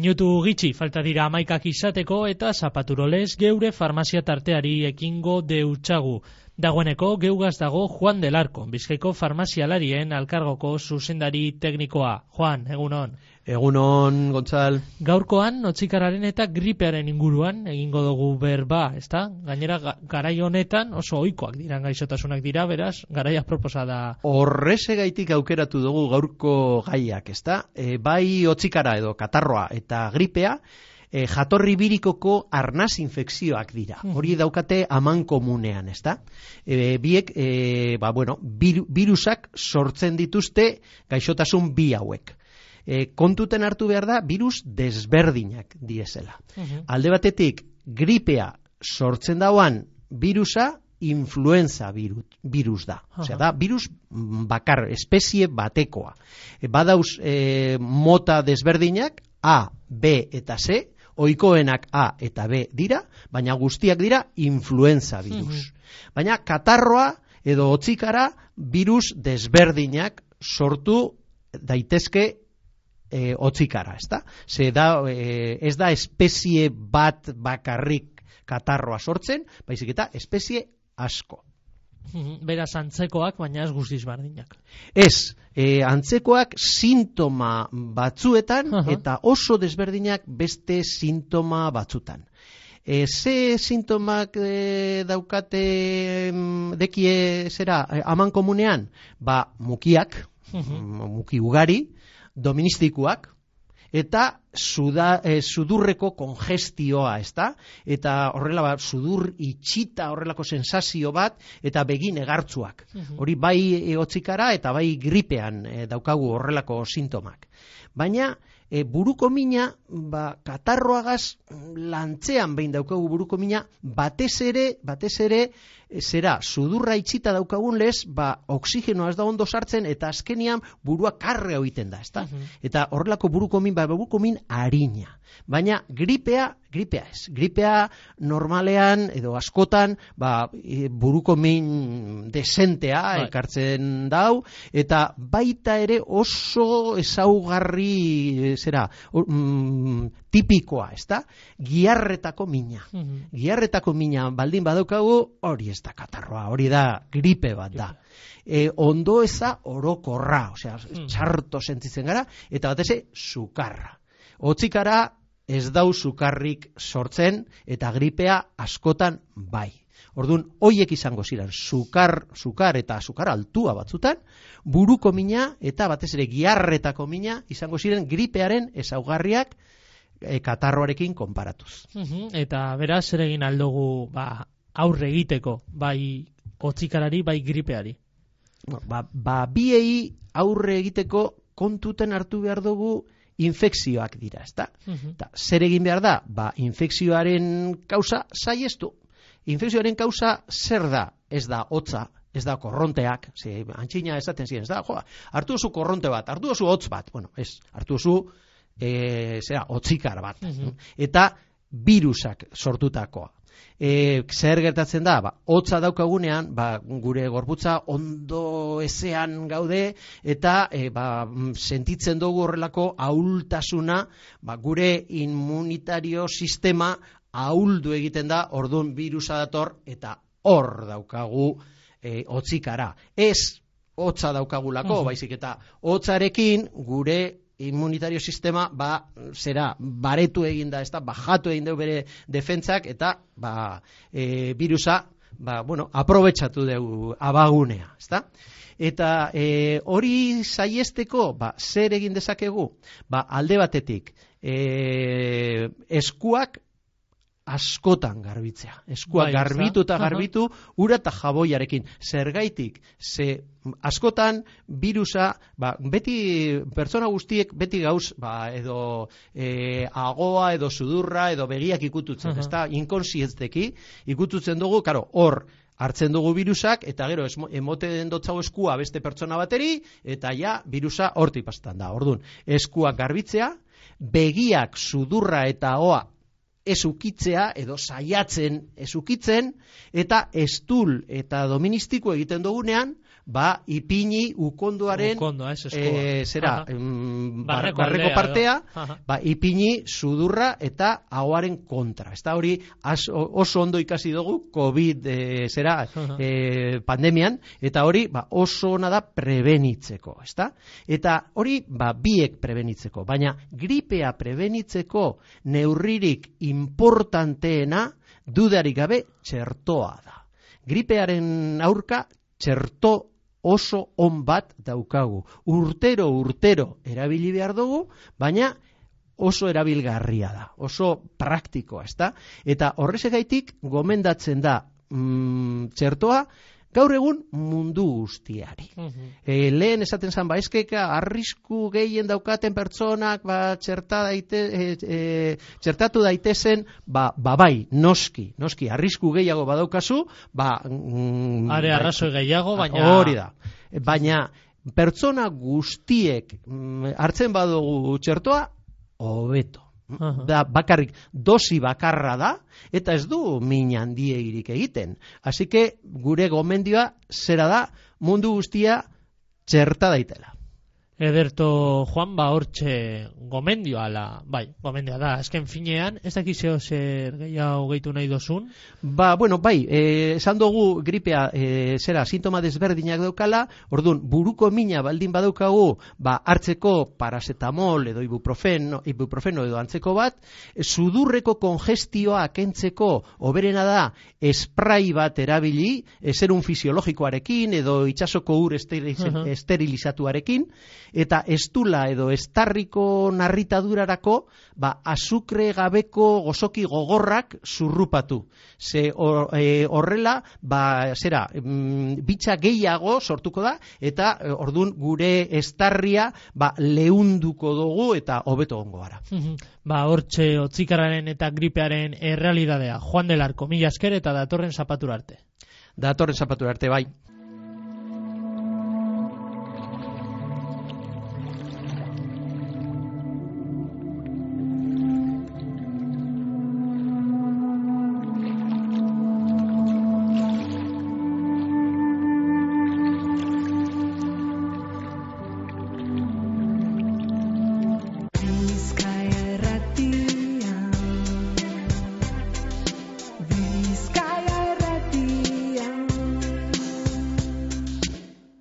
Minutu gitxi falta dira 11 izateko eta zapaturolez geure farmazia tarteari ekingo deutsagu. Dagoeneko geugaz dago Juan del Arco, Bizkaiko farmazialarien alkargoko zuzendari teknikoa. Juan, egunon. Egunon, Gontzal. Gaurkoan, otzikararen eta gripearen inguruan egingo dugu berba, ezta? Gainera, garai honetan oso ohikoak diran gaixotasunak dira, beraz, garaia proposa da. Horrezegaitik aukeratu dugu gaurko gaiak, ezta? Bai otzikara edo katarroa eta gripea, jatorri birikoko arnaz infekzioak dira. Hori daukate amankomunean, ezta? Biek, virusak sortzen dituzte gaixotasun bi hauek. Kontuten hartu behar da, virus desberdinak diesela. Alde batetik, gripea sortzen dauan virusa, influenza virus da. Osea, da, virus bakar, espezie batekoa. Badauz mota desberdinak, A, B eta C, ohikoenak A eta B dira, baina guztiak dira influenza virus. Baina katarroa edo otzikara virus desberdinak sortu daitezke otzikara, ezta? Ez da espezie bat bakarrik katarroa sortzen, baizik eta espezie asko. Beraz antzekoak, baina ez guztiz berdinak. Ez, antzekoak sintoma batzuetan eta oso desberdinak beste sintoma batzutan. Ze sintomak daukate dekie zera amankomunean? Mukiak, muki ugari, doministikuak, eta sudurreko kongestioa, ezta? Eta horrela sudur itxita horrelako sensazio bat, eta begin egartzuak. Hori bai otzikara eta bai gripean daukagu horrelako sintomak. Baina buruko mina, katarroagaz lantzean behin daukagu buruko mina, batez ere, zera, sudurra itxita daukagun lez, oksigenoa ez da ondo sartzen, eta azkenian burua karrea egiten da, ezta? Eta horrelako buruko min harina. Baina gripea ez. Gripea normalean edo askotan buruko min desentea ekartzen dau, eta baita ere oso ezaugarri tipikoa, ezta? Giarretako mina. Giarretako mina baldin badaukagu, hori ez da katarroa, hori da gripe bat da. Ondo eza orokorra, osea, txarto sentitzen gara, eta batez sukarra. Otzikara ez dau sukarrik sortzen, eta gripea askotan bai. Orduan, hoiek izango ziren, sukar eta sukar altua batzutan, buruko mina eta batez ere giarretako mina izango ziren gripearen ezaugarriak katarroarekin konparatuz. Eta beraz, zer egin aldugu aurre egiteko, bai otzikarari, bai gripeari? Biei aurre egiteko kontuten hartu behar dugu infekzioak dira, ezta? Zer egin behar da? Infekzioaren kausa saiestu. Infekzioaren kausa zer da? Ez da hotza, ez da korronteak, antxina esaten ziren, ez da, hartu oso korronte bat, hartu oso hotz bat, hartu oso hotzikar bat, eta virusak sortutakoa. Zer gertatzen da, hotza daukagunean, gure gorputza ondo ezean gaude, eta sentitzen dugu horrelako ahultasuna, gure immunitario sistema ahuldu egiten da, orduan virusa dator, eta hor daukagu hotzikara. Ez hotza daukagulako, baizik eta hotzarekin gure immunitario sistema baretu egin da, bajatu egin dugu bere defentsak, eta virusa aprobetxatu dugu abagunea, ezta? Eta hori saiesteko, zer egin dezakegu? Alde batetik, eskuak askotan garbitzea. Eskuak garbitu eta garbitu, ura eta jaboiarekin. Zergaitik, askotan virusa, beti, pertsona guztiek beti gauz, edo agoa, edo sudurra, edo begiak ikututzen, ezta, inkonsientzeki ikututzen dugu, hor, hartzen dugu virusak, eta gero emoten dotzago eskua beste pertsona bateri, eta ja, virusa hortik pastan da. Orduan, eskuak garbitzea, begiak, sudurra eta ahoa ez ukitzea edo saiatzen ez ukitzen, eta estul eta doministiko egiten dugunean, ipini ukondoaren barreko partea, ipini sudurra eta ahoaren kontra. Eta hori oso ondo ikasi dugu COVID pandemian, eta hori oso ona da prebenitzeko, ezta? Eta hori biek prebenitzeko, baina gripea prebenitzeko neurririk importanteena dudarik gabe txertoa da. Gripearen aurka txerto oso on bat daukagu. Urtero erabili behar dugu, baina oso erabilgarria da, oso praktikoa, ezta? Eta horrezegaitik gomendatzen da txertoa gaur egun mundu guztiari. Lehen esaten zan, eskeka arrisku gehien daukaten pertsonak txertatu daitezen, bai, noski, arrisku gehiago badaukazu, are arrazoi gehiago, baina hori da. Baina pertsona guztiek hartzen badugu txertoa, hobeto. Bakarrik dosi bakarra da, eta ez du min handiegirik egiten. Así que gure gomendioa zera da, mundu guztia txerta daitela. Ederto, Juan, hortxe gomendioa gomendioa da, azken finean, ez dakizeo zer gehiago gehitu nahi dozun? Esan dugu gripea sintoma desberdinak daukala, orduan, buruko mina baldin badaukagu, hartzeko paracetamol edo ibuprofeno edo antzeko bat, sudurreko kongestioa kentzeko oberena da, esprai bat erabili, zerun fisiologikoarekin edo itsasoko ur esterilizatuarekin, eta estula edo estarriko narritadurarako azukre gabeko gozoki gogorrak zurrupatu. Ze horrela bitxa gehiago sortuko da, eta ordun gure estarria leunduko dugu eta hobeto gongo gara. Hortxe otzikarraren eta gripearen errealidadea. Juan del Arco, mila esker eta datorren zapatura arte. Datorren zapatura arte, bai.